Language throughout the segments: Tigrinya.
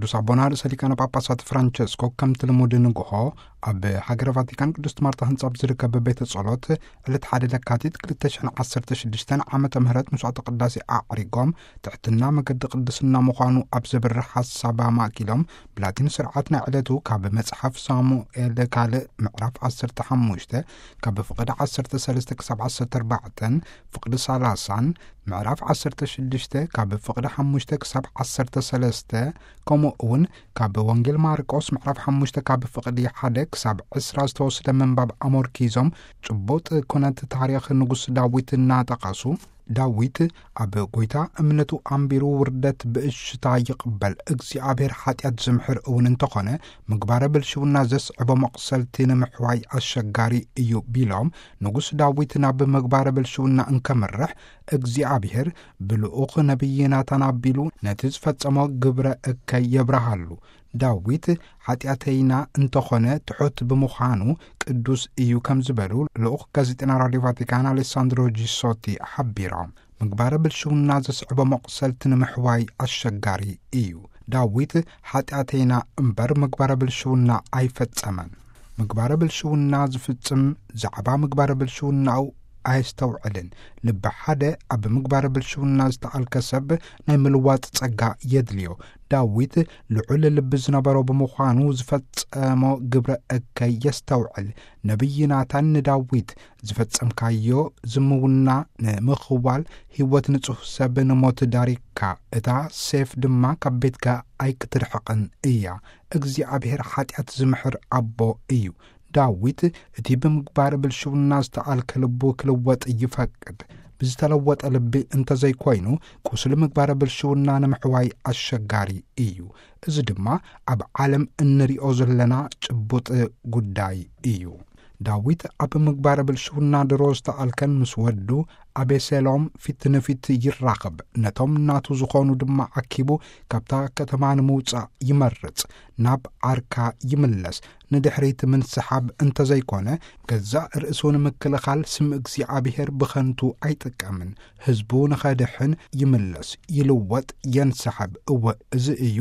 ቅዱስ ኣቦና ርእሰ ሊቃነ ጳጳሳት ፍራንቸስኮ ከምቲ ልሙድ ንግሆ ኣብ ሃገረ ቫቲካን ቅድስት ማርታ ህንጻ ኣብ ዝርከብ ቤተ ጸሎት ዕለት ሓደ ለካቲት ክልተ ሽሕን ዓሰርተ ሽዱሽተን ዓመተ ምህረት መስዋዕተ ቅዳሴ ኣዕሪጎም፣ ትሕትና መገዲ ቅድስና ምዃኑ ኣብ ዘብርህ ሓሳብ ኣማእኪሎም፣ ብላቲን ስርዓት ናይ ዕለቱ ካብ መጽሓፍ ሳሙኤል ካልእ ምዕራፍ ዓሰርተ ሓሙሽተ ካብ ፍቕዲ ዓሰርተ ሰለስተ ክሳብ ዓሰርተ ኣርባዕተን፣ ፍቕዲ ሰላሳን፣ ምዕራፍ ዓሰርተ ሽዱሽተ ካብ ፍቕዲ ሓሙሽተ ክሳብ ዓሰርተ ሰለስተ፣ ከምኡ እውን ካብ ወንጌል ማርቆስ ምዕራፍ ሓሙሽተ ካብ ፍቕዲ ሓደ ክሳብ ዕስራ ዝተወስደ ምንባብ ኣመርኪዞም፣ ጭቡጥ ኩነት ታሪኽ ንጉስ ዳዊት እናጠቐሱ፣ ዳዊት ኣብ ጐይታ እምነቱ ኣንቢሩ ውርደት ብእሽታ ይቕበል፣ እግዚኣብሔር ሓጢኣት ዝምሕር እውን እንተኾነ፣ ምግባረ ብልሽውና ዘስዕቦ መቕሰልቲ ንምሕዋይ ኣሸጋሪ እዩ ቢሎም፣ ንጉስ ዳዊት ናብ ምግባረ ብልሽውና እንከምርሕ፣ እግዚኣብሔር ብልኡኽ ነቢይ ናታን ኣቢሉ ነቲ ዝፈጸሞ ግብረ እከይ የብርሃሉ። ዳዊት ሓጢኣተይና እንተኾነ ትሑት ብምዃኑ ቅዱስ እዩ ከም ዝበሉ ልኡኽ ጋዜጠና ራድዮ ቫቲካን ኣሌሳንድሮ ጂሶቲ ሓቢሮም። ምግባረ ብልሽውና ዘስዕቦ መቕሰልቲ ንምሕዋይ ኣሸጋሪ እዩ። ዳዊት ሓጢኣተይና እምበር ምግባረ ብልሽውና ኣይፈጸመን። ምግባረ ብልሽውና ዝፍጽም ዛዕባ ምግባረ ብልሽውናኡ ኣየስተውዕልን። ልቢ ሓደ ኣብ ምግባረ ብልሽውና ዝተኣልከ ሰብ ናይ ምልዋጥ ጸጋ የድልዮ። ዳዊት ልዑል ልቢ ዝነበሮ ብምዃኑ ዝፈጸሞ ግብረ እከይ የስተውዕል። ነቢይ ናታን ንዳዊት፣ "ዝፈጸምካዮ ዝምውና ንምኽዋል ህይወት ንጹህ ሰብ ንሞት ዳሪግካ፣ እታ ሴፍ ድማ ካብ ቤትካ ኣይክትርሕቕን እያ። እግዚኣብሔር ሓጢኣት ዝምሕር ኣቦ እዩ።" ዳዊት እቲ ብምግባር ብልሽውና ዝተኣልከ ልቡ ክልወጥ ይፈቅድ። ብዝተለወጠ ልቢ እንተዘይኮይኑ፣ ቁስሊ ምግባረ ብልሽውና ንምሕዋይ ኣሸጋሪ እዩ። እዚ ድማ ኣብ ዓለም እንሪኦ ዘለና ጭቡጥ ጉዳይ እዩ። ዳዊት ኣብ ምግባረ ብልሽውና ድሮ ዝተኣልከን ምስ ወዱ ኣቤሴሎም ፊት ንፊት ይራኸብ። ነቶም ናቱ ዝኾኑ ድማ ኣኪቡ ካብታ ከተማ ንምውጻእ ይመርጽ። ናብ ዓርካ ይምለስ። ንድሕሪት ምንስሓብ እንተዘይኮነ፣ ገዛእ ርእሱ ንምክልኻል ስም እግዚኣብሔር ብኸንቱ ኣይጥቀምን። ህዝቡ ንኸድሕን ይምለስ፣ ይልወጥ፣ የንስሓብ። እወ፣ እዚ እዩ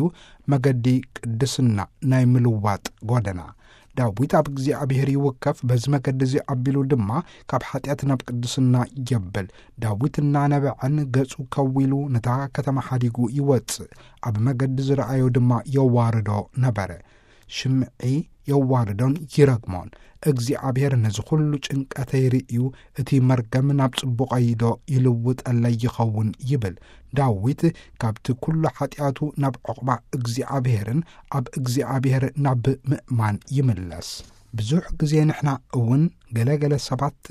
መገዲ ቅድስና፣ ናይ ምልዋጥ ጎደና። ዳዊት ኣብ እግዚኣብሔር ይውከፍ፣ በዚ መገዲ እዚ ኣቢሉ ድማ ካብ ሓጢኣት ናብ ቅድስና የብል። ዳዊት እናነበዐን ገጹ ከዊሉ ነታ ከተማ ሓዲጉ ይወጽእ። ኣብ መገዲ ዝረኣዮ ድማ የዋርዶ ነበረ። ሽምዒ የዋርዶን ይረግሞን። እግዚኣብሔር ነዚ ኩሉ ጭንቀተይ ርእዩ፣ እቲ መርገም ናብ ጽቡቐይዶ ይልውጠለይ ይኸውን ይብል። ዳዊት ካብቲ ኩሉ ሓጢኣቱ ናብ ዕቑባ እግዚኣብሔርን ኣብ እግዚኣብሔር ናብ ምእማን ይምለስ። ብዙሕ ግዜ ንሕና እውን ገለ ገለ ሰባት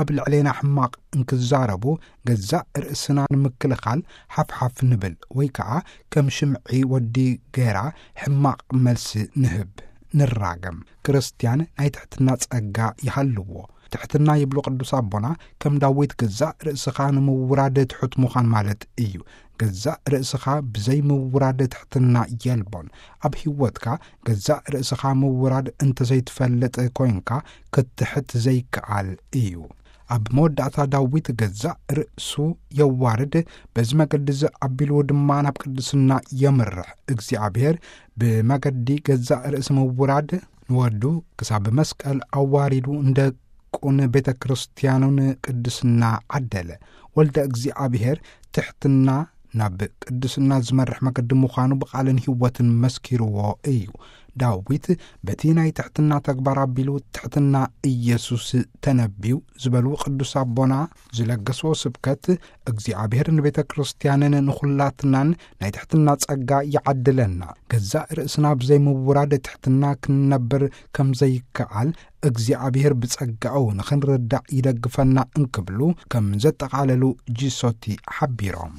ኣብ ልዕሌና ሕማቕ እንክዛረቡ ገዛእ ርእስና ንምክልኻል ሓፍሓፍ ንብል ወይ ከኣ ከም ሽምዒ ወዲ ጌራ ሕማቕ መልሲ ንህብ፣ ንራገም። ክርስትያን ናይ ትሕትና ጸጋ ይሃልዎ። ትሕትና ይብሉ ቅዱስ ኣቦና ከም ዳዊት ገዛእ ርእስኻ ንምውራድ ትሑት ምዃን ማለት እዩ። ገዛእ ርእስኻ ብዘይ ምውራድ ትሕትና የልቦን። ኣብ ህይወትካ ገዛእ ርእስኻ ምውራድ እንተዘይትፈልጥ ኮይንካ ክትትሕት ዘይከኣል እዩ። ኣብ መወዳእታ ዳዊት ገዛእ ርእሱ የዋርድ፣ በዚ መገዲ እዚ ኣቢሉ ድማ ናብ ቅድስና የምርሕ። እግዚኣብሔር ብመገዲ ገዛእ ርእሲ ምውራድ ንወዱ ክሳብ መስቀል ኣዋሪዱ ንደቁን ቤተ ክርስቲያኑን ቅድስና ዓደለ። ወልደ እግዚኣብሔር ትሕትና ናብ ቅድስና ዝመርሕ መገዲ ምዃኑ ብቓልን ህይወትን መስኪርዎ እዩ። ዳዊት በቲ ናይ ትሕትና ተግባር ኣቢሉ ትሕትና ኢየሱስ ተነብዩ ዝበሉ ቅዱስ ኣቦና ዝለገስዎ ስብከት፣ እግዚኣብሔር ንቤተ ክርስቲያንን ንኹላትናን ናይ ትሕትና ጸጋ ይዓድለና። ገዛእ ርእስና ብዘይምውራድ ትሕትና ክንነብር ከም ዘይከኣል እግዚኣብሔር ብጸጋኡ ንኽንርዳእ ይደግፈና እንክብሉ ከም ዘጠቓለሉ ጂሶቲ ሓቢሮም።